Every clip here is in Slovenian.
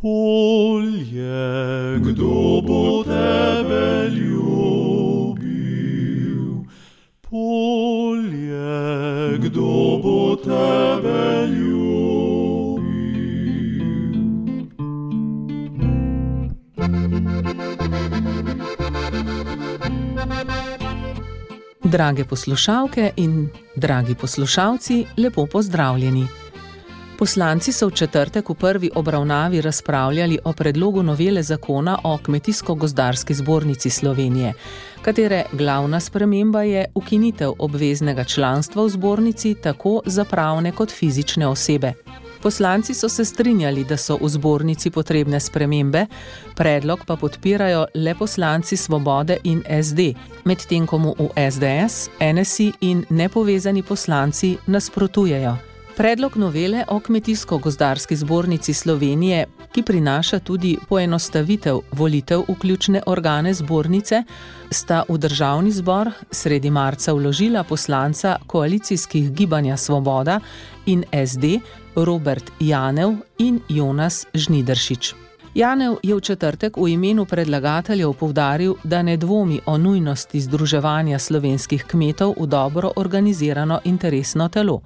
Polje, kdo bo tebe ljubil? Polje, kdo bo tebe ljubil? Drage poslušalke in dragi poslušalci, lepo pozdravljeni. Poslanci so v četrtek v prvi obravnavi razpravljali o predlogu novele zakona o Kmetijsko-gozdarski zbornici Slovenije, katere glavna sprememba je ukinitev obveznega članstva v zbornici tako za pravne kot fizične osebe. Poslanci so se strinjali, da so v zbornici potrebne spremembe, predlog pa podpirajo le poslanci Svobode in SD, medtem ko mu v SDS, NSI in nepovezani poslanci nasprotujejo. Predlog novele o Kmetijsko-gozdarski zbornici Slovenije, ki prinaša tudi poenostavitev volitev v ključne organe zbornice, sta v Državni zbor sredi marca vložila poslanca koalicijskih gibanja Svoboda in SD Robert Janev in Jonas Žnidaršič. Janev je v četrtek v imenu predlagateljev poudaril, da ne dvomi o nujnosti združevanja slovenskih kmetov v dobro organizirano interesno telo.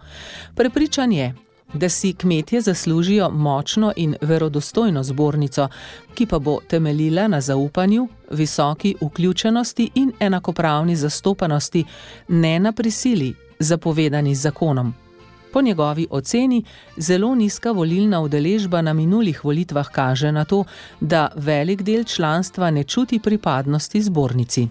Prepričan je, da si kmetje zaslužijo močno in verodostojno zbornico, ki pa bo temeljila na zaupanju, visoki vključenosti in enakopravni zastopanosti, ne na prisili, zapovedani z zakonom. Po njegovi oceni zelo nizka volilna udeležba na minulih volitvah kaže na to, da velik del članstva ne čuti pripadnosti zbornici.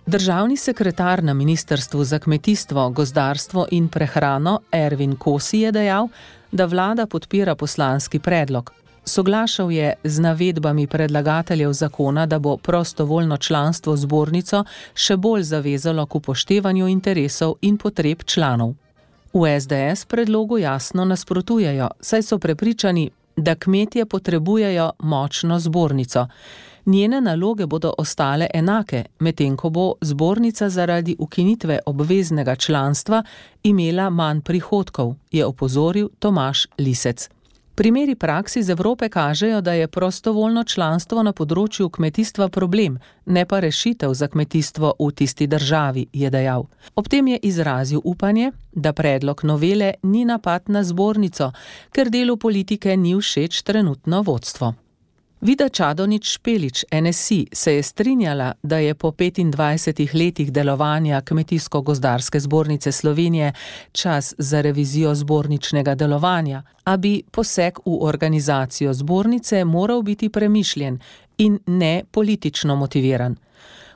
Državni sekretar na Ministrstvu za kmetijstvo, gozdarstvo in prehrano Ervin Kosi je dejal, da vlada podpira poslanski predlog. Soglašal je z navedbami predlagateljev zakona, da bo prostovoljno članstvo v zbornico še bolj zavezalo k upoštevanju interesov in potreb članov. V SDS predlogu jasno nasprotujejo, saj so prepričani, da kmetje potrebujejo močno zbornico. Njene naloge bodo ostale enake, medtem ko bo zbornica zaradi ukinitve obveznega članstva imela manj prihodkov, je opozoril Tomaž Lisec. Primeri praks iz Evrope kažejo, da je prostovoljno članstvo na področju kmetijstva problem, ne pa rešitev za kmetijstvo v tisti državi, je dejal. Ob tem je izrazil upanje, da predlog novele ni napad na zbornico, ker delu politike ni všeč trenutno vodstvo. Vida Čadonič-Špelič, NSI, se je strinjala, da je po 25 letih delovanja Kmetijsko-gozdarske zbornice Slovenije čas za revizijo zborničnega delovanja, a bi poseg v organizacijo zbornice moral biti premišljen in ne politično motiviran.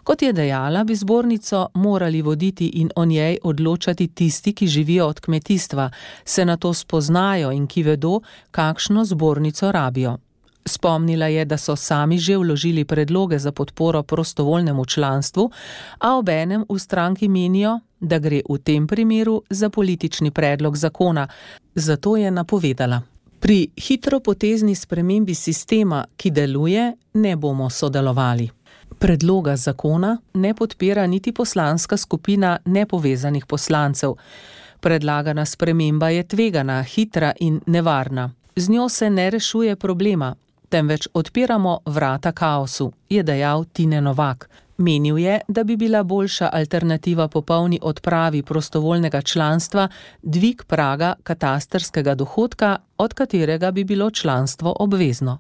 Kot je dejala, bi zbornico morali voditi in o njej odločati tisti, ki živijo od kmetijstva, se na to spoznajo in ki vedo, kakšno zbornico rabijo. Spomnila je, da so sami že vložili predloge za podporo prostovoljnemu članstvu, a obenem v stranki menijo, da gre v tem primeru za politični predlog zakona, zato je napovedala: pri hitropotezni spremembi sistema, ki deluje, ne bomo sodelovali. Predloga zakona ne podpira niti poslanska skupina nepovezanih poslancev. Predlagana sprememba je tvegana, hitra in nevarna. Z njo se ne rešuje problema, temveč odpiramo vrata kaosu, je dejal Tine Novak. Menil je, da bi bila boljša alternativa popolni odpravi prostovoljnega članstva dvig praga katastrskega dohodka, od katerega bi bilo članstvo obvezno.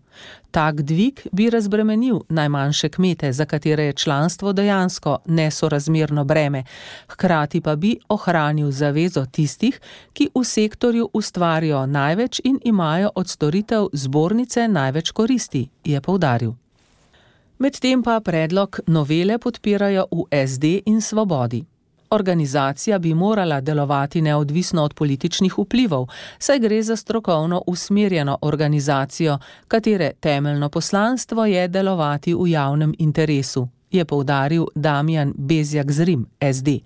Tak dvig bi razbremenil najmanjše kmete, za katere je članstvo dejansko nesorazmerno breme, hkrati pa bi ohranil zavezo tistih, ki v sektorju ustvarijo največ in imajo od storitev zbornice največ koristi, je poudaril. Medtem pa predlog novele podpirajo v SD in Svobodi. Organizacija bi morala delovati neodvisno od političnih vplivov, saj gre za strokovno usmerjeno organizacijo, katere temeljno poslanstvo je delovati v javnem interesu, je poudaril Damjan Bezjak-Zrim, SD.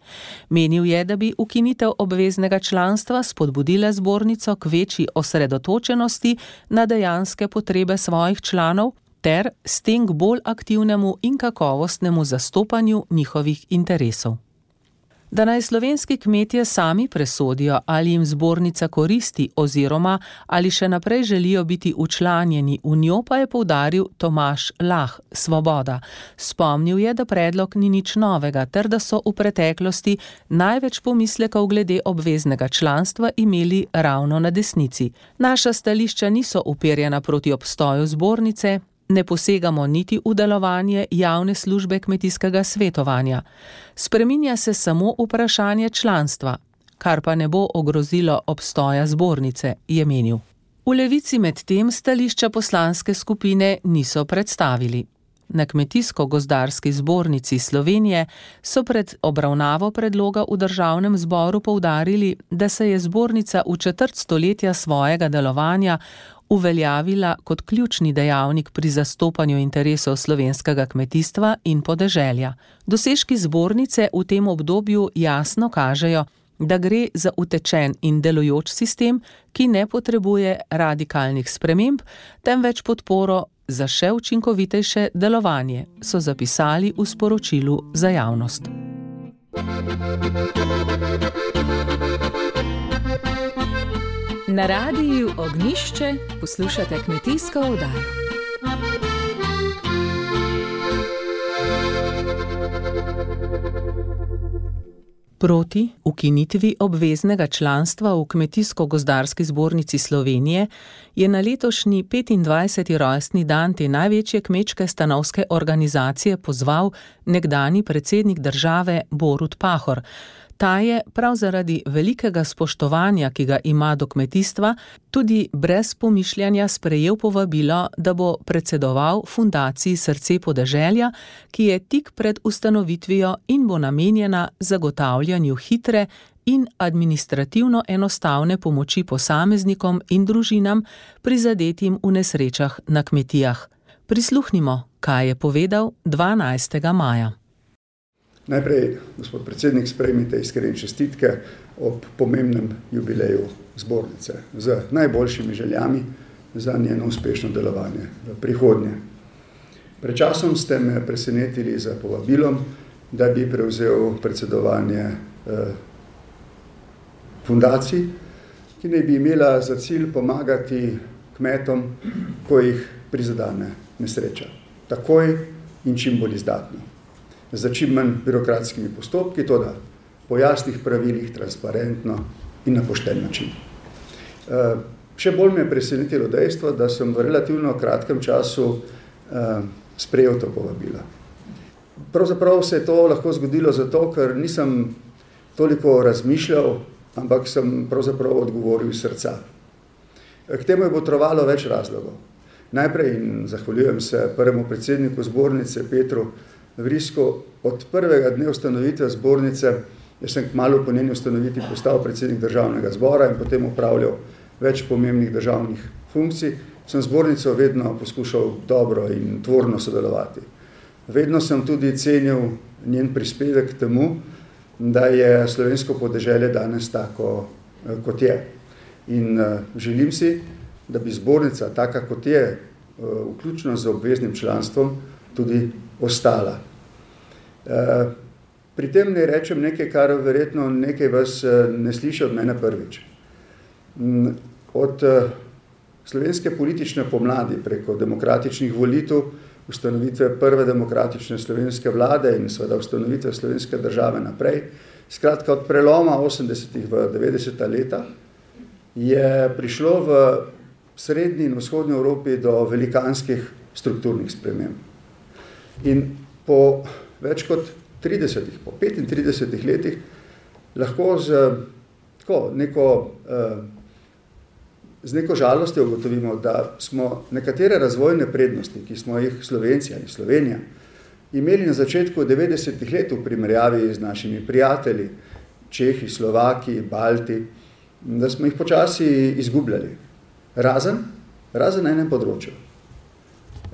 Menil je, da bi ukinitev obveznega članstva spodbudila zbornico k večji osredotočenosti na dejanske potrebe svojih članov ter s tem k bolj aktivnemu in kakovostnemu zastopanju njihovih interesov. Da naj slovenski kmetje sami presodijo, ali jim zbornica koristi oziroma ali še naprej želijo biti včlanjeni v njo, pa je poudaril Tomaž Lah, Svoboda. Spomnil je, da predlog ni nič novega, ter da so v preteklosti največ pomislekov glede obveznega članstva imeli ravno na desnici. Naša stališča niso uperjena proti obstoju zbornice, ne posegamo niti v delovanje javne službe kmetijskega svetovanja. Spreminja se samo vprašanje članstva, kar pa ne bo ogrozilo obstoja zbornice, je menil. V Levici med tem stališča poslanske skupine niso predstavili. Na Kmetijsko-gozdarski zbornici Slovenije so pred obravnavo predloga v državnem zboru poudarili, da se je zbornica v četrt stoletja svojega delovanja uveljavila kot ključni dejavnik pri zastopanju interesov slovenskega kmetijstva in podeželja. Dosežki zbornice v tem obdobju jasno kažejo, da gre za utečen in delujoč sistem, ki ne potrebuje radikalnih sprememb, temveč podporo za še učinkovitejše delovanje, so zapisali v sporočilu za javnost. Na radiju Ognjišče poslušate kmetijsko oddajo. Proti ukinitvi obveznega članstva v Kmetijsko-gozdarski zbornici Slovenije je na letošnji 25. rojstni dan te največje kmečke stanovske organizacije pozval nekdanji predsednik države Borut Pahor. Ta je prav zaradi velikega spoštovanja, ki ga ima do kmetijstva, tudi brez pomišljanja sprejel povabilo, da bo predsedoval Fundaciji Srce podeželja, ki je tik pred ustanovitvijo in bo namenjena zagotavljanju hitre in administrativno enostavne pomoči posameznikom in družinam, prizadetim v nesrečah na kmetijah. Prisluhnimo, kaj je povedal 12. maja. Najprej, gospod predsednik, sprejmite iskrene čestitke ob pomembnem jubileju zbornice z najboljšimi željami za njeno uspešno delovanje v prihodnje. Pred časom ste me presenetili z povabilom, da bi prevzel predsedovanje fundaciji, ki naj bi imela za cilj pomagati kmetom, ko jih prizadene nesreča. Takoj in čim bolj izdatno. Za čim manj birokratskimi postopki, to da po jasnih pravilih, transparentno in na pošten način. Še bolj me je presenetilo dejstvo, da sem v relativno kratkem času sprejel to povabilo. Pravzaprav se je to lahko zgodilo zato, ker nisem toliko razmišljal, ampak sem pravzaprav odgovoril iz srca. K temu je botrovalo več razlogov. Najprej, in zahvaljujem se prvemu predsedniku zbornice Petru Vrisko, od prvega dne ustanovitve zbornice, jaz sem kmalu po njeni ustanovitvi postal predsednik državnega zbora in potem upravljal več pomembnih državnih funkcij, sem zbornico vedno poskušal dobro in tvorno sodelovati. Vedno sem tudi cenil njen prispevek k temu, da je slovensko podeželje danes tako, kot je. In želim si, da bi zbornica, taka kot je, vključno z obveznim članstvom, tudi ostala. Pri tem ne rečem nekaj, kar verjetno nekaj vas ne sliši od mene prvič. Od slovenske politične pomladi preko demokratičnih volitev, ustanovitve prve demokratične slovenske vlade in seveda ustanovitve slovenske države naprej, skratka od preloma 80. v 90. leta, je prišlo v srednji in vzhodnji Evropi do velikanskih strukturnih sprememb. In po več kot 30, po 35 letih lahko z neko žalostjo ugotovimo, da smo nekatere razvojne prednosti, ki smo jih Slovenci ali Slovenija imeli na začetku 90. let v primerjavi z našimi prijatelji, Čehi, Slovaki, Balti, da smo jih počasi izgubljali. Razen na enem področju.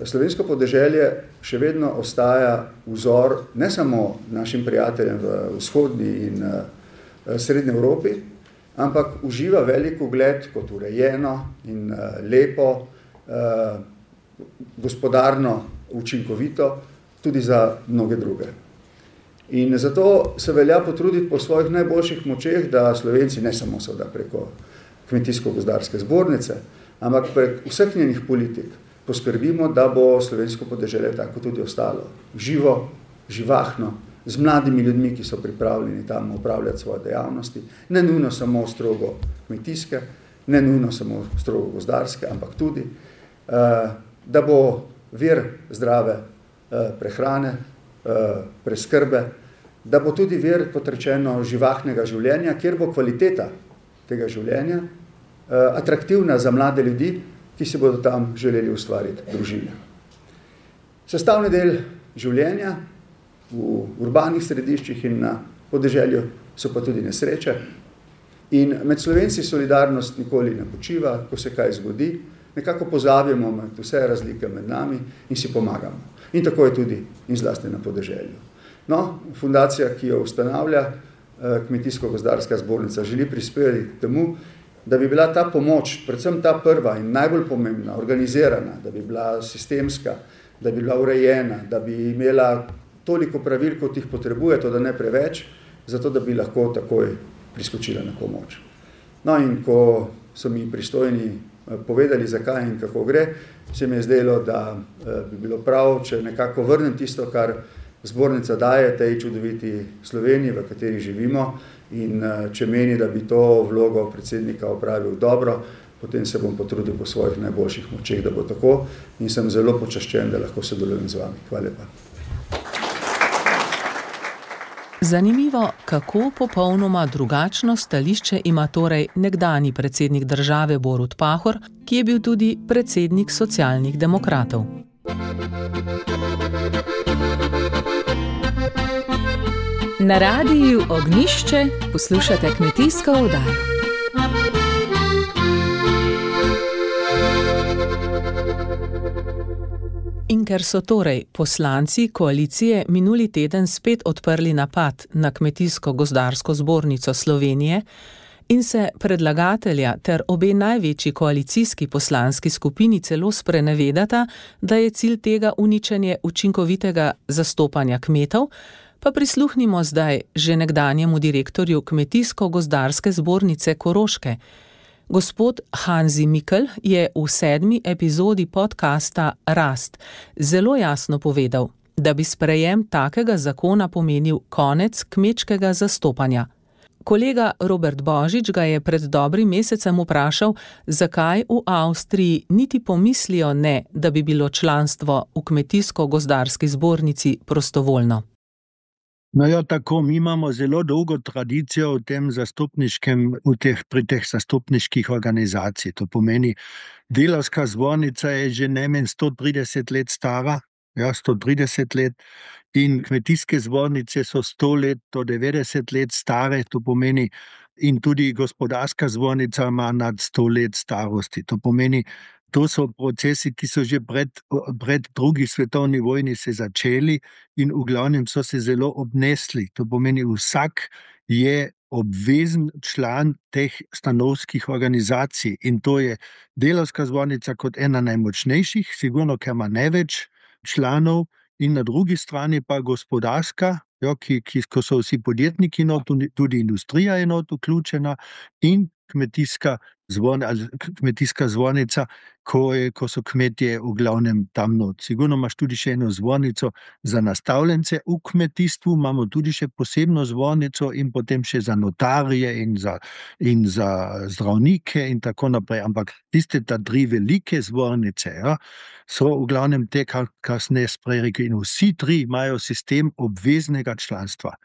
Slovensko podeželje še vedno ostaja vzor ne samo našim prijateljem v vzhodni in srednji Evropi, ampak uživa velik ugled kot urejeno in lepo, gospodarno, učinkovito, tudi za mnoge druge. In zato se velja potruditi po svojih najboljših močeh, da Slovenci ne samo seveda preko Kmetijsko-gozdarske zbornice, ampak prek vseh njenih politik poskrbimo, da bo slovensko podeželje tako tudi ostalo. Živo, živahno, z mladimi ljudmi, ki so pripravljeni tam upravljati svoje dejavnosti, ne nujno samo strogo kmetijske, ne nujno samo strogo gozdarske, ampak tudi, da bo vir zdrave prehrane, preskrbe, da bo tudi vir, kot rečeno, živahnega življenja, kjer bo kvaliteta tega življenja atraktivna za mlade ljudi, ki si bodo tam želeli ustvariti družine. Sestavni del življenja v urbanih središčih in na podeželju so pa tudi nesreče. In med Slovenci solidarnost nikoli ne počiva, ko se kaj zgodi, nekako pozabimo med vse razlike med nami in si pomagamo. In tako je tudi in zlasti na podeželju. No, fundacija, ki jo ustanavlja Kmetijsko-gozdarska zbornica, želi prispevati k temu, da bi bila ta pomoč, predvsem ta prva in najbolj pomembna, organizirana, da bi bila sistemska, da bi bila urejena, da bi imela toliko pravil, kot jih potrebuje, to da ne preveč, zato da bi lahko takoj priskočila na pomoč. No in ko so mi pristojni povedali, zakaj in kako gre, se mi je zdelo, da bi bilo prav, če nekako vrnem tisto, kar zbornica daje tej čudoviti Sloveniji, v kateri živimo, in če meni, da bi to vlogo predsednika opravil dobro, potem se bom potrudil po svojih najboljših močeh, da bo tako, in sem zelo počaščen, da lahko sodelujem z vami. Hvala lepa. Zanimivo, kako popolnoma drugačno stališče ima torej nekdanji predsednik države Borut Pahor, ki je bil tudi predsednik Socialnih demokratov. Na radiju Ognjišče poslušate kmetijsko oddajo. In ker so torej poslanci koalicije minuli teden spet odprli napad na Kmetijsko-gozdarsko zbornico Slovenije in se predlagatelja ter obe največji koalicijski poslanski skupini celo sprenevedata, da je cilj tega uničenje učinkovitega zastopanja kmetov, pa prisluhnimo zdaj že nekdanjemu direktorju Kmetijsko-gozdarske zbornice Koroške. Gospod Hanzi Mikl je v 7. epizodi podcasta Rast zelo jasno povedal, da bi sprejem takega zakona pomenil konec kmečkega zastopanja. Kolega Robert Božič ga je pred dobrim mesecem vprašal, zakaj v Avstriji niti pomislijo ne, da bi bilo članstvo v Kmetijsko-gozdarski zbornici prostovoljno. No ja, tako, mi imamo zelo dolgo tradicijo pri teh zastopniških organizacij. To pomeni, delavska zbornica je že najmanj 130 let stara, 130 let, in kmetijske zbornice so 100 let do 90 let stare, to pomeni, in tudi gospodarska zbornica ima nad 100 let starosti. To pomeni, to so procesi, ki so že pred drugi svetovni vojni se začeli in v glavnem so se zelo obnesli. To pomeni, vsak je obvezen član teh stanovskih organizacij in to je delavska zbornica kot ena najmočnejših, sigurno, ker ima največ članov, in na drugi strani pa gospodarska, ko so vsi podjetniki not, tudi industrija je not vključena, in kmetijska zbornica, ko so kmetje v glavnem tam not. Sigurno imaš tudi še eno zbornico za nastavljence v kmetijstvu, imamo tudi še posebno zbornico in potem še za notarje in za zdravnike in tako naprej. Ampak tiste ta 3 velike zbornice, so v glavnem te, kar sem jaz prej rekel, in vsi 3 imajo sistem obveznega članstva,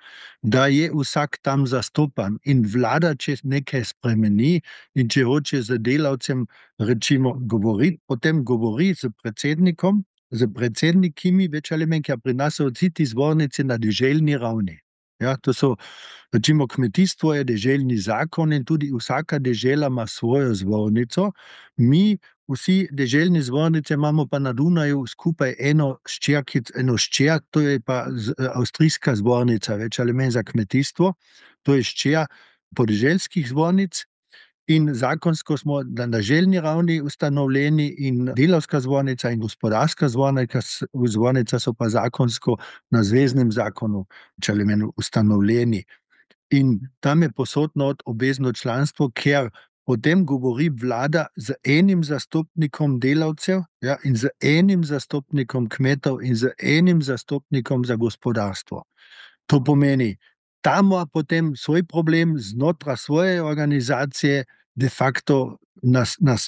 da je vsak tam zastopan in vlada, če nekaj spremeni in če hoče z delavcem recimo govoriti, potem govori z predsednikom, z predsednikimi, več ali manj, ker pri nas so vsi ti zbornice na deželni ravni. To so, recimo, kmetijstvo je deželni zakon in tudi vsaka dežela ima svojo zbornico. Mi vsi deželni zbornice imamo pa na Dunaju skupaj eno ščer, to je pa avstrijska zbornica, več ali manj za kmetijstvo, to je ščer podeželskih zbornic. In zakonsko smo na želni ravni ustanovljeni in delavska zbornica in gospodarska zbornica so pa zakonsko na zveznem zakonu, če le meni, ustanovljeni. In tam je posod not obvezno članstvo, ker potem govori vlada z enim zastopnikom delavcev, ja, in z enim zastopnikom kmetov in z enim zastopnikom za gospodarstvo. To pomeni, tam ima potem svoj problem znotraj svoje organizacije, de facto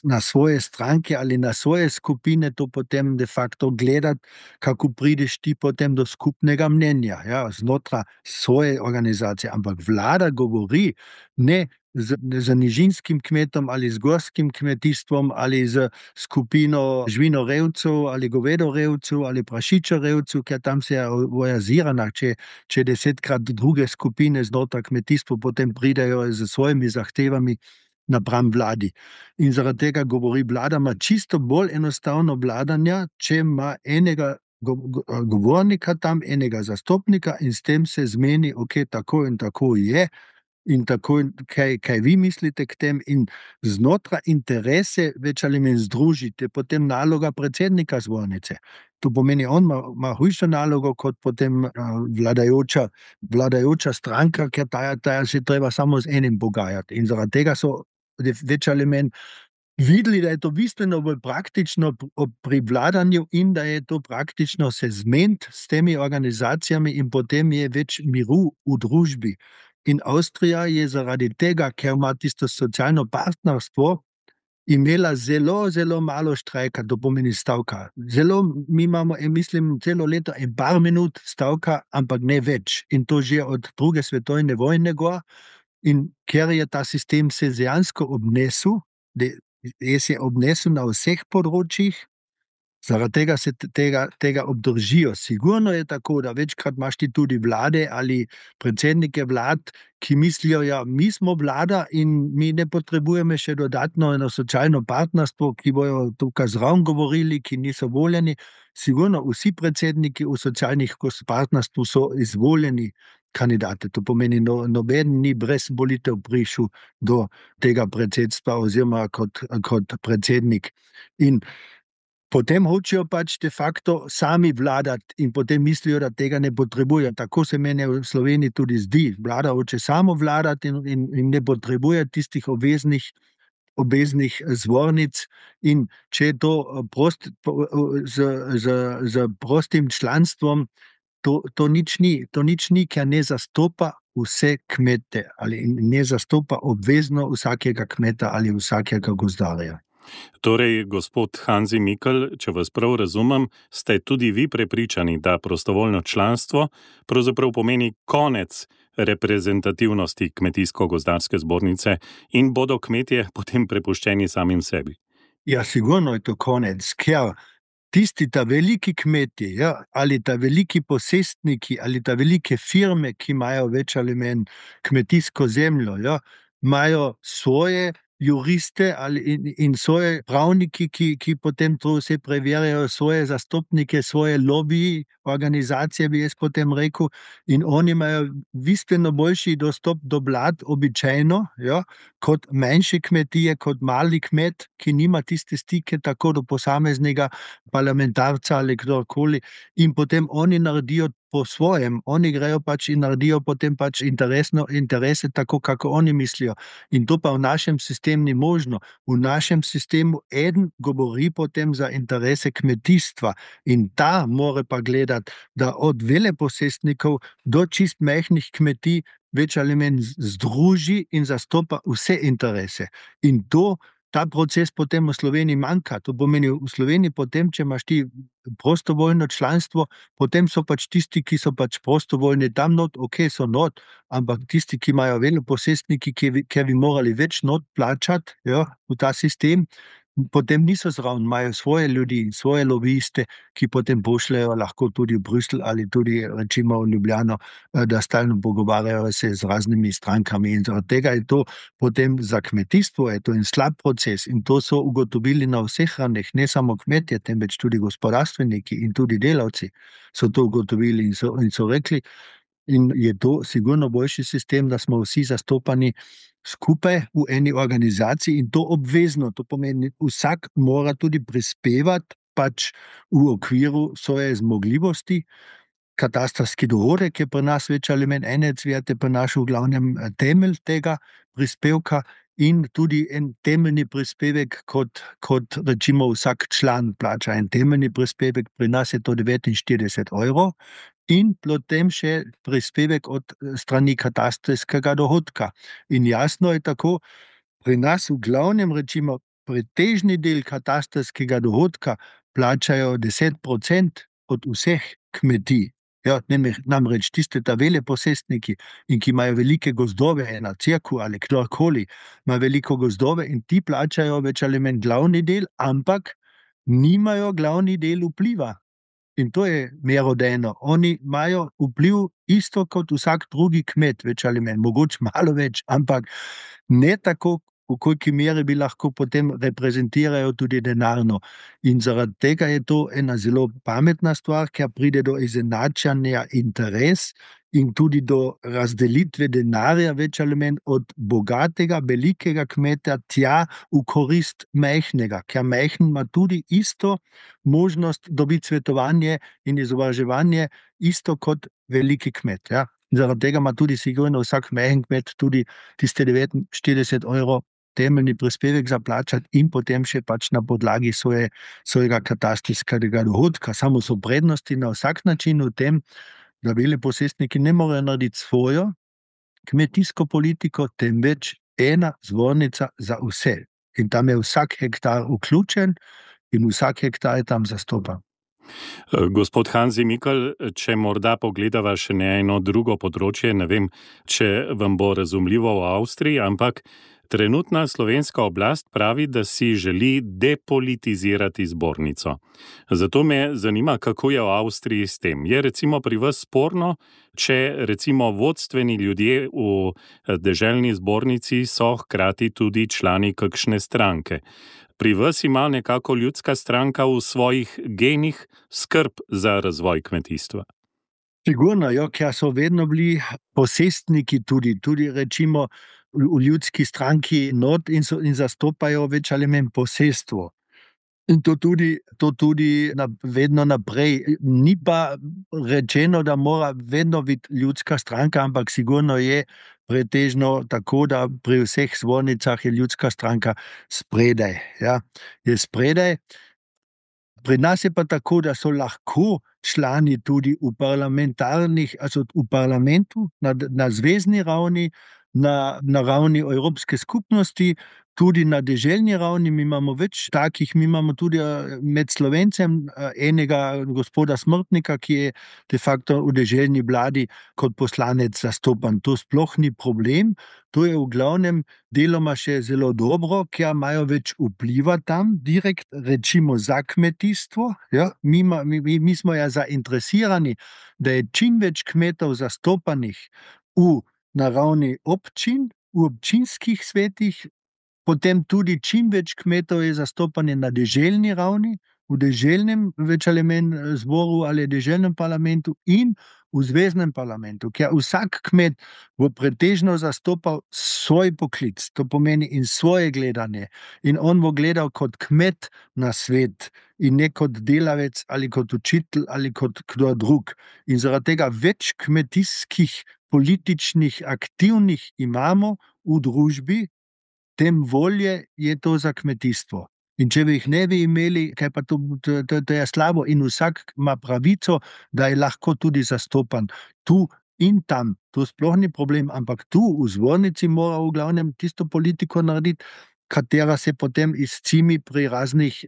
na svoje stranke ali na svoje skupine to potem de facto gledati, kako prideš ti potem do skupnega mnenja, ja, znotraj svoje organizacije. Ampak vlada govori ne z nižinskim kmetom ali z gorskim kmetijstvom ali z skupino živinorejcev ali govedorejcev ali prašičorejcev, ker tam se je ojazirana, če 10-krat druge skupine znotraj kmetijstva potem pridejo z svojimi zahtevami napram vladi. In zaradi tega govori vlada, ima čisto bolj enostavno vladanja, če ima enega govornika tam, enega zastopnika in s tem se zmeni, ok, tako in tako je, in tako, kaj vi mislite k tem, in znotraj interese več ali manj združite, potem naloga predsednika zbornice. To pomeni, on ima hujšo nalogo kot potem vladajoča stranka, ker ta se treba samo z enim pogajati. In zaradi tega so več ali manj videli, da je to bistveno bolj praktično pri vladanju in da je to praktično se zmeniti s temi organizacijami in potem je več miru v družbi. In Avstrija je zaradi tega, ker ima tisto socialno partnerstvo, imela zelo, zelo malo štrajka, to pomeni stavka. Mi imamo, mislim, celo leto in par minut stavka, ampak ne več. In to že od druge svetovne vojne gor. In ker je ta sistem se dejansko obnesel, se je obnesel na vseh področjih, zaradi tega se tega obdržijo. Sigurno je tako, da večkrat imaš ti tudi vlade ali predsednike vlad, ki mislijo, ja, mi smo vlada in mi ne potrebujemo še dodatno eno socialno partnerstvo, ki bojo tukaj zraven govorili, ki niso voljeni. Sigurno vsi predsedniki v socialnih partnerstvu so izvoljeni kandidate. To pomeni, noben ni brez volitev prišel do tega predsedstva oziroma kot predsednik. In potem hočejo pač de facto sami vladati in potem mislijo, da tega ne potrebujejo. Tako se meni v Sloveniji tudi zdi. Vlada hoče samo vladati in ne potrebuje tistih obveznih zbornic, in če je to z prostim članstvom, to nič ni, ker ne zastopa vse kmete ali ne zastopa obvezno vsakega kmeta ali vsakega gozdarja. Torej, gospod Hanzi Mikl, če vas prav razumem, ste tudi vi prepričani, da prostovoljno članstvo pravzaprav pomeni konec reprezentativnosti Kmetijsko-gozdarske zbornice in bodo kmetje potem prepuščeni samim sebi? Ja, sigurno je to konec, ker ta veliki kmetje, ja, ali ta veliki posestniki, ali ta velike firme, ki imajo več ali manj kmetijsko zemljo, ja, imajo svoje juriste in svoje pravniki, ki potem to vse preverjajo, svoje zastopnike, svoje lobiji, organizacije, bi jaz potem rekel, in oni imajo bistveno boljši dostop do vlad običajno, ja, kot manjše kmetije, kot mali kmet, ki nima tiste stike tako do posameznega parlamentarca ali kdorkoli, in potem oni naredijo po svojem, oni grejo pač in naredijo potem pač interese tako, kako oni mislijo. In to pa v našem sistemu ni možno. V našem sistemu eden govori potem za interese kmetijstva in ta mora pa gledati, da od veleposestnikov do čist majhnih kmetij več ali manj združi in zastopa vse interese. In ta proces potem v Sloveniji manjka. To pomeni, v Sloveniji potem, če imaš ti prostovoljno članstvo, potem so pač tisti, ki so pač prostovoljni tam not, ok, so not, ampak tisti, ki imajo veleposestniki, ki bi morali več not plačati, ja, v ta sistem, potem niso zraven, imajo svoje ljudi in svoje lobiste, ki potem pošljajo lahko tudi v Bruselj ali tudi recimo v Ljubljano, da stalno pogovarjajo se z raznimi strankami, in zaradi tega je to potem za kmetijstvo je to en slab proces, in to so ugotovili na vseh ravneh, ne samo kmetje, temveč tudi gospodarstveniki in tudi delavci so to ugotovili in so rekli, In je to sigurno boljši sistem, da smo vsi zastopani skupaj v eni organizaciji in to obvezno. To pomeni, vsak mora tudi prispevati pač v okviru svoje zmogljivosti. Katastrski dohodek je pri nas več ali manj enec, je pri nas v glavnem temelj tega prispevka in tudi en temeljni prispevek, kot recimo vsak član plača en temeljni prispevek, pri nas je to 49 evrov in potem še prispevek od strani katastrskega dohodka. In jasno je tako, pri nas v glavnem recimo pretežni del katastrskega dohodka plačajo 10% od vseh kmetij. Ja, namreč tiste ta veleposestniki, in ki imajo velike gozdove, ena cerkev ali kdorkoli, ima veliko gozdove in ti plačajo več ali manj glavni del, ampak nimajo glavni del vpliva. In to je merodajno. Oni imajo vpliv isto kot vsak drugi kmet, več ali manj, mogoče malo več, ampak ne tako, v koliki meri bi lahko potem reprezentirajo tudi denarno. In zaradi tega je to ena zelo pametna stvar, ker pride do izenačanja interes in tudi do razdelitve denarja več ali manj od bogatega, velikega kmeta tja v korist majhnega, ker majhen ima tudi isto možnost dobiti svetovanje in izobraževanje, isto kot veliki kmet. Ja. Zaradi tega ima tudi sigurno vsak majhen kmet tudi tiste 49 evrov temeljni prispevek za plačati in potem še pač na podlagi svojega katastrskega dohodka. Samo so prednosti na vsak način v tem, da veleposestniki ne morejo narediti svojo kmetijsko politiko, temveč ena zbornica za vse. In tam je vsak hektar vključen in vsak hektar je tam zastopan. Gospod Hanzi Mikl, če morda pogledava še eno drugo področje, ne vem, če vam bo razumljivo v Avstriji, ampak trenutna slovenska oblast pravi, da si želi depolitizirati zbornico. Zato me zanima, kako je v Avstriji s tem. Je recimo pri vas sporno, če recimo vodstveni ljudje v deželni zbornici so hkrati tudi člani kakšne stranke? Pri vas ima nekako ljudska stranka v svojih genih skrb za razvoj kmetijstva. Sigurno, jo, ker so vedno bili posestniki tudi recimo v ljudski stranki not in zastopajo več ali manj posestvo. In to tudi vedno naprej. Ni pa rečeno, da mora vedno biti ljudska stranka, ampak sigurno je pretežno tako, da pri vseh zbornicah je ljudska stranka spredaj. Ja. Je spredaj. Pri nas je pa tako, da so lahko člani tudi v parlamentarnih, also v parlamentu, na zvezni ravni, na ravni Evropske skupnosti, tudi na deželni ravni. Mi imamo več takih, mi imamo tudi med Slovencem enega gospoda Smrtnika, ki je de facto v deželni vladi kot poslanec zastopan. To sploh ni problem, to je v glavnem deloma še zelo dobro, ker imajo več vpliva tam, direkt recimo za kmetijstvo. Ja? Mi smo ja zainteresirani, da je čim več kmetov zastopanih na ravni občin, v občinskih svetih, potem tudi čim več kmetov je zastopanje na deželni ravni, v deželnem več ali manj zboru ali deželnem parlamentu in v zveznem parlamentu, ker vsak kmet bo pretežno zastopal svoj poklic, to pomeni in svoje gledanje. In on bo gledal kot kmet na svet in ne kot delavec ali kot učitelj ali kot kdo drug. In zaradi tega več kmetijskih političnih aktivnih imamo v družbi, tem volje je to za kmetijstvo. In če bi jih ne bi imeli, kaj pa to je slabo in vsak ima pravico, da je lahko tudi zastopan tu in tam. To sploh ni problem, ampak tu v zbornici mora v glavnem tisto politiko narediti, katera se potem izcimi pri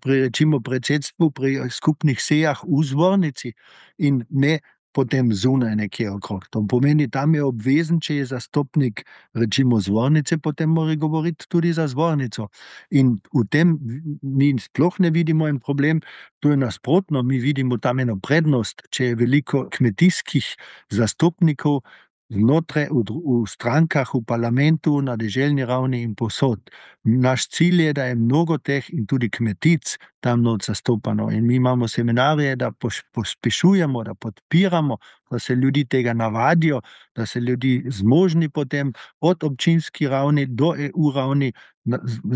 recimo predsedstvu, pri skupnih sejah v zbornici in ne potem zunaj nekje okrog. To pomeni, tam je obvezen, če je zastopnik recimo zbornice, potem mora govoriti tudi za zbornico. In v tem mi sploh ne vidimo en problem, to je nasprotno, mi vidimo tam eno prednost, če je veliko kmetijskih zastopnikov, znotraj v strankah, v parlamentu, na deželni ravni in posod. Naš cilj je, da je mnogo teh in tudi kmetic tam not zastopano. In mi imamo seminarje, da pospešujemo, da podpiramo, da se ljudi tega navadijo, da se ljudi zmožni potem od občinski ravni do EU ravni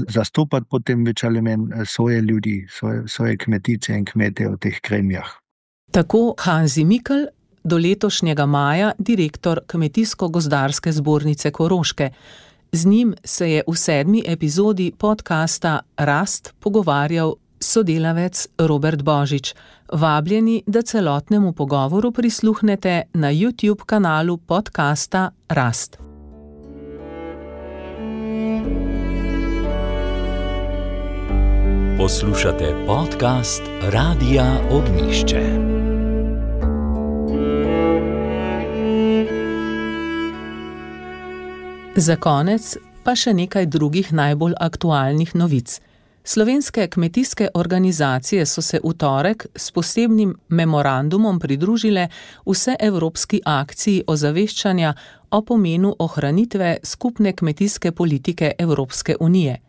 zastopati potem več ali manj svoje ljudi, svoje kmetice in kmete v teh gremijah. Tako Hanzi Mikl, do letošnjega maja direktor Kmetijsko-gozdarske zbornice Koroške. Z njim se je v 7. epizodi podcasta Rast pogovarjal sodelavec Robert Božič. Vabljeni, da celotnemu pogovoru prisluhnete na YouTube kanalu podcasta Rast. Poslušate podcast Radia Ognišče. Za konec pa še nekaj drugih najbolj aktualnih novic. Slovenske kmetijske organizacije so se v torek s posebnim memorandumom pridružile vseevropski akciji ozaveščanja o pomenu ohranitve skupne kmetijske politike Evropske unije.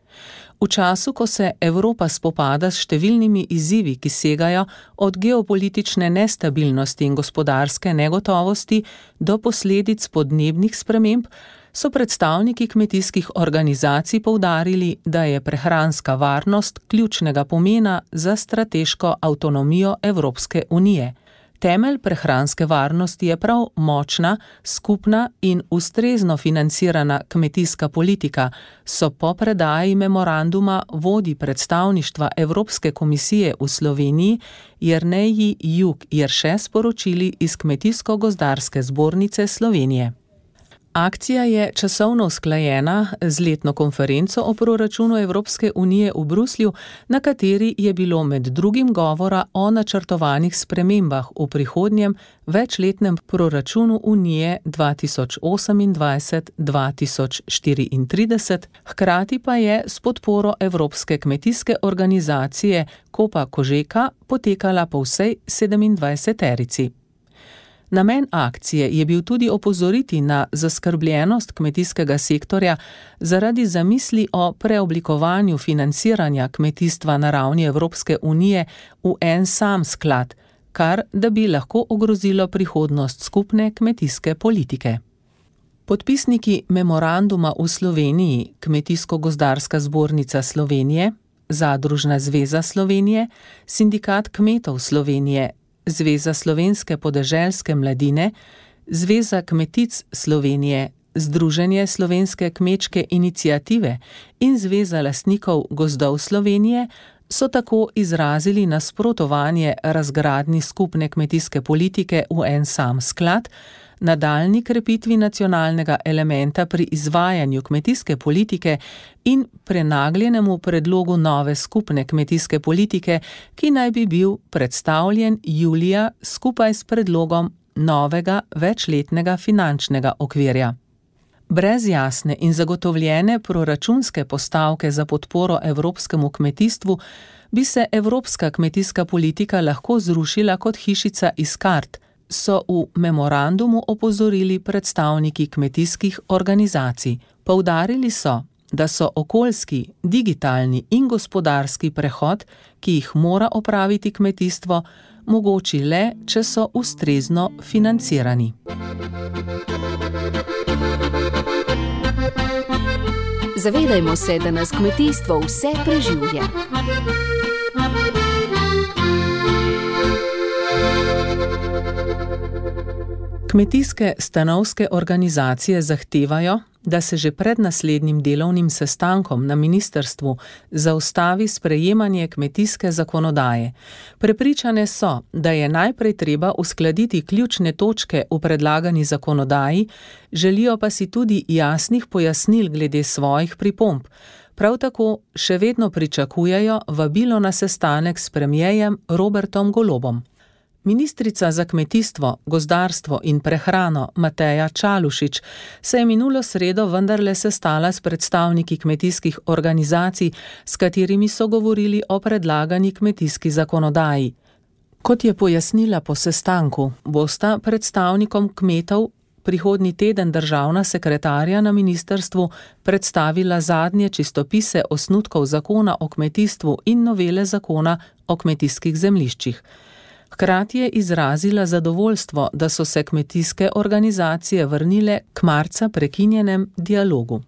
V času, ko se Evropa spopada s številnimi izzivi, ki segajo od geopolitične nestabilnosti in gospodarske negotovosti do posledic podnebnih sprememb, so predstavniki kmetijskih organizacij poudarili, da je prehranska varnost ključnega pomena za strateško avtonomijo Evropske unije. Temelj prehranske varnosti je prav močna, skupna in ustrezno financirana kmetijska politika, so po predaji memoranduma vodji predstavništva Evropske komisije v Sloveniji Jerneji Jug Jerše sporočili iz Kmetijsko-gozdarske zbornice Slovenije. Akcija je časovno usklajena z letno konferenco o proračunu Evropske unije v Bruslju, na kateri je bilo med drugim govora o načrtovanih spremembah v prihodnjem večletnem proračunu Unije 2028-2034, hkrati pa je s podporo Evropske kmetijske organizacije Copa Cogeca potekala po vsej 27-terici. Namen akcije je bil tudi opozoriti na zaskrbljenost kmetijskega sektorja zaradi zamisli o preoblikovanju financiranja kmetijstva na ravni Evropske unije v en sam sklad, kar da bi lahko ogrozilo prihodnost skupne kmetijske politike. Podpisniki memoranduma v Sloveniji, Kmetijsko-gozdarska zbornica Slovenije, Zadružna zveza Slovenije, Sindikat kmetov Slovenije, Zveza slovenske podeželske mladine, Zveza kmetic Slovenije, Združenje slovenske kmečke iniciative in Zveza lastnikov gozdov Slovenije so tako izrazili nasprotovanje razgradnji skupne kmetijske politike v en sam sklad, nadaljnji krepitvi nacionalnega elementa pri izvajanju kmetijske politike in prenagljenemu predlogu nove skupne kmetijske politike, ki naj bi bil predstavljen julija skupaj s predlogom novega večletnega finančnega okvirja. Brez jasne in zagotovljene proračunske postavke za podporo evropskemu kmetijstvu bi se evropska kmetijska politika lahko zrušila kot hišica iz kart, so v memorandumu opozorili predstavniki kmetijskih organizacij. Poudarili so, da so okoljski, digitalni in gospodarski prehod, ki jih mora opraviti kmetijstvo, mogoči le, če so ustrezno financirani. Zavedajmo se, da nas kmetijstvo vse preživlja. Kmetijske stanovske organizacije zahtevajo, da se že pred naslednjim delovnim sestankom na ministrstvu zaustavi sprejemanje kmetijske zakonodaje. Prepričane so, da je najprej treba uskladiti ključne točke v predlagani zakonodaji, želijo pa si tudi jasnih pojasnil glede svojih pripomb. Prav tako še vedno pričakujejo vabilo na sestanek s premierjem Robertom Golobom. Ministrica za kmetijstvo, gozdarstvo in prehrano Mateja Čalušić se je minulo sredo vendarle sestala s predstavniki kmetijskih organizacij, s katerimi so govorili o predlagani kmetijski zakonodaji. Kot je pojasnila po sestanku, bosta predstavnikom kmetov prihodnji teden državna sekretarja na ministrstvu predstavila zadnje čistopise osnutkov zakona o kmetijstvu in novele zakona o kmetijskih zemljiščih. Hkrati je izrazila zadovoljstvo, da so se kmetijske organizacije vrnile k marca prekinjenem dialogu.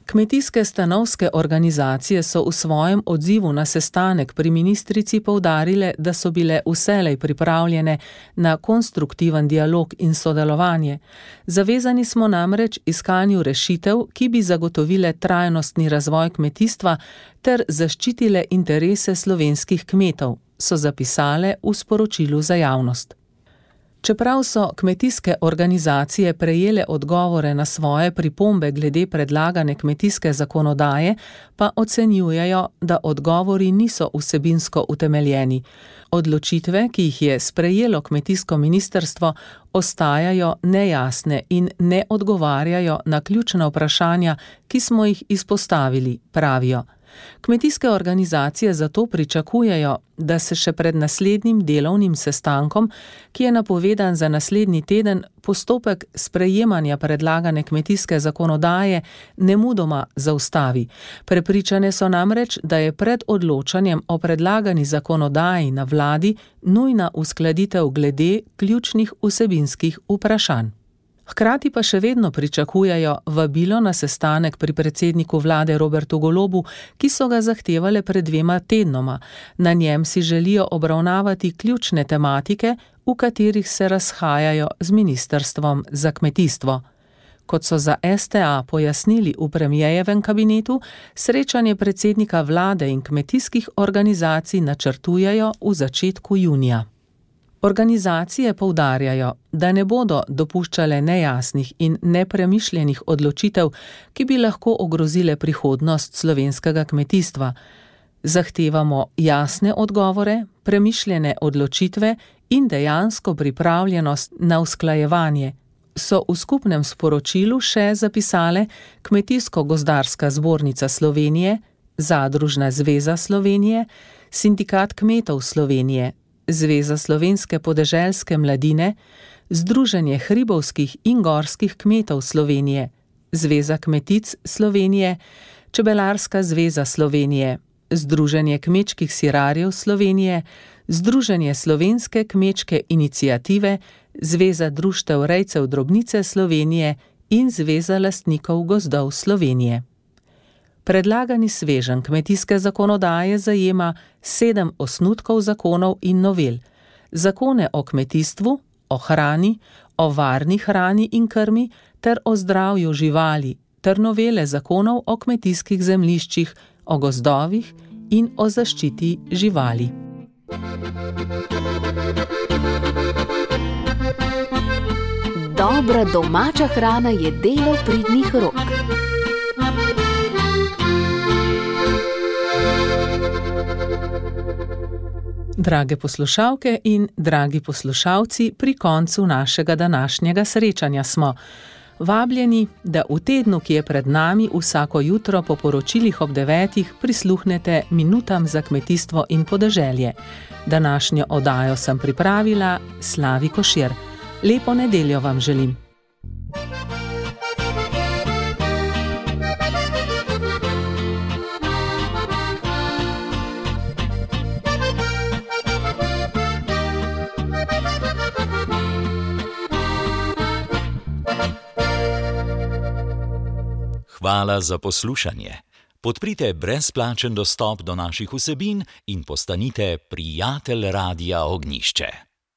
Kmetijske stanovske organizacije so v svojem odzivu na sestanek pri ministrici poudarile, da so bile vselej pripravljene na konstruktiven dialog in sodelovanje. Zavezani smo namreč iskanju rešitev, ki bi zagotovile trajnostni razvoj kmetijstva ter zaščitile interese slovenskih kmetov, so zapisale v sporočilu za javnost. Čeprav so kmetijske organizacije prejele odgovore na svoje pripombe glede predlagane kmetijske zakonodaje, pa ocenjujejo, da odgovori niso vsebinsko utemeljeni. Odločitve, ki jih je sprejelo kmetijsko ministrstvo, ostajajo nejasne in ne odgovarjajo na ključna vprašanja, ki smo jih izpostavili, pravijo. Kmetijske organizacije zato pričakujejo, da se še pred naslednjim delovnim sestankom, ki je napovedan za naslednji teden, postopek sprejemanja predlagane kmetijske zakonodaje nemudoma zaustavi. Prepričane so namreč, da je pred odločanjem o predlagani zakonodaji na vladi nujna uskladitev glede ključnih vsebinskih vprašanj. Hkrati pa še vedno pričakujejo vabilo na sestanek pri predsedniku vlade Robertu Golobu, ki so ga zahtevale pred 2 tednoma. Na njem si želijo obravnavati ključne tematike, v katerih se razhajajo z ministrstvom za kmetijstvo. Kot so za STA pojasnili v premierjevem kabinetu, srečanje predsednika vlade in kmetijskih organizacij načrtujejo v začetku junija. Organizacije poudarjajo, da ne bodo dopuščale nejasnih in nepremišljenih odločitev, ki bi lahko ogrozile prihodnost slovenskega kmetijstva. Zahtevamo jasne odgovore, premišljene odločitve in dejansko pripravljenost na usklajevanje, so v skupnem sporočilu še zapisale Kmetijsko-gozdarska zbornica Slovenije, Zadružna zveza Slovenije, Sindikat kmetov Slovenije, Zveza slovenske podeželske mladine, Združenje hribovskih in gorskih kmetov Slovenije, Zveza kmetic Slovenije, Čebelarska zveza Slovenije, Združenje kmečkih sirarjev Slovenije, Združenje slovenske kmečke iniciative, Zveza društev rejcev drobnice Slovenije in Zveza lastnikov gozdov Slovenije. Predlagani sveženj kmetijske zakonodaje zajema 7 osnutkov zakonov in novel. Zakone o kmetijstvu, o hrani, o varni hrani in krmi ter o zdravju živali, ter novele zakonov o kmetijskih zemljiščih, o gozdovih in o zaščiti živali. Dobra domača hrana je delo pridnih rok. Drage poslušalke in dragi poslušalci, pri koncu našega današnjega srečanja smo. Vabljeni, da v tednu, ki je pred nami, vsako jutro po poročilih ob 9 prisluhnete minutam za kmetijstvo in podeželje. Današnjo oddajo sem pripravila Slavi Košir. Lepo nedeljo vam želim. Hvala za poslušanje. Podprite brezplačen dostop do naših vsebin in postanite prijatelj Radia Ognjišče.